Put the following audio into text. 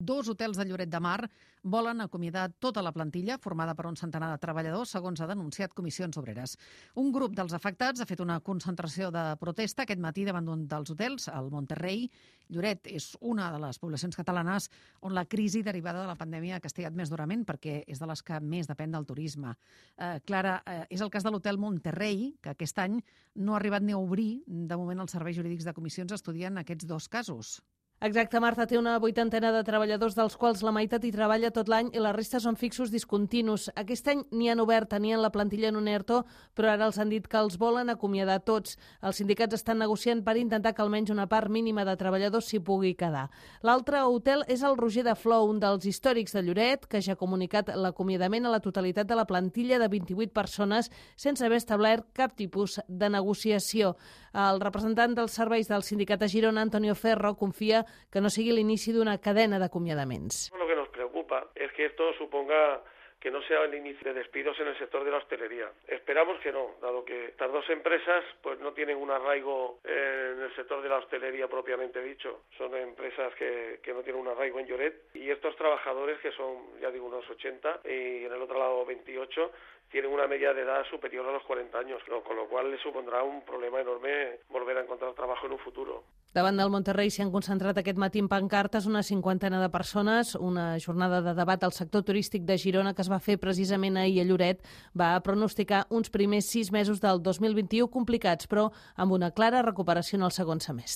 Dos hotels de Lloret de Mar volen acomiadar tota la plantilla, formada per un centenar de treballadors, segons ha denunciat Comissions Obreres. Un grup dels afectats ha fet una concentració de protesta aquest matí davant d'un dels hotels, el Monterrey. Lloret és una de les poblacions catalanes on la crisi derivada de la pandèmia ha castigat més durament, perquè és de les que més depèn del turisme. Clara, és el cas de l'hotel Monterrey, que aquest any no ha arribat ni a obrir. De moment, els serveis jurídics de comissions estudien aquests dos casos. Exacte, Marta, té una 80 de treballadors, dels quals la meitat hi treballa tot l'any i la resta són fixos discontinus. Aquest any n'hi han obert, tenien la plantilla en un ERTO, però ara els han dit que els volen acomiadar tots. Els sindicats estan negociant per intentar que almenys una part mínima de treballadors s'hi pugui quedar. L'altre hotel és el Roger de Flor, un dels històrics de Lloret, que ja ha comunicat l'acomiadament a la totalitat de la plantilla de 28 persones sense haver establert cap tipus de negociació. El representant dels serveis del sindicat a Girona, Antonio Ferro, confia que no sigui l'inici d'una cadena d'acomiadaments. Lo que nos preocupa es que esto suponga que no sea el inicio de despidos en el sector de la hostelería. Esperamos que no, dado que estas dos empresas pues no tienen un arraigo en el sector de la hostelería propiamente dicho. Son empresas que no tienen un arraigo en Lloret y estos trabajadores, que son, ya digo, unos 80 y en el otro lado 28, tienen una media de edad superior a los 40 años, con lo cual les supondrà un problema enorme volver a encontrar trabajo en un futuro. Davant del Monterrey s'hi han concentrat aquest matí en pancartes una 50 de persones. Una jornada de debat al sector turístic de Girona que es va fer precisament ahir a Lloret va pronosticar uns primers 6 mesos del 2021 complicats, però amb una clara recuperació en el segon semestre.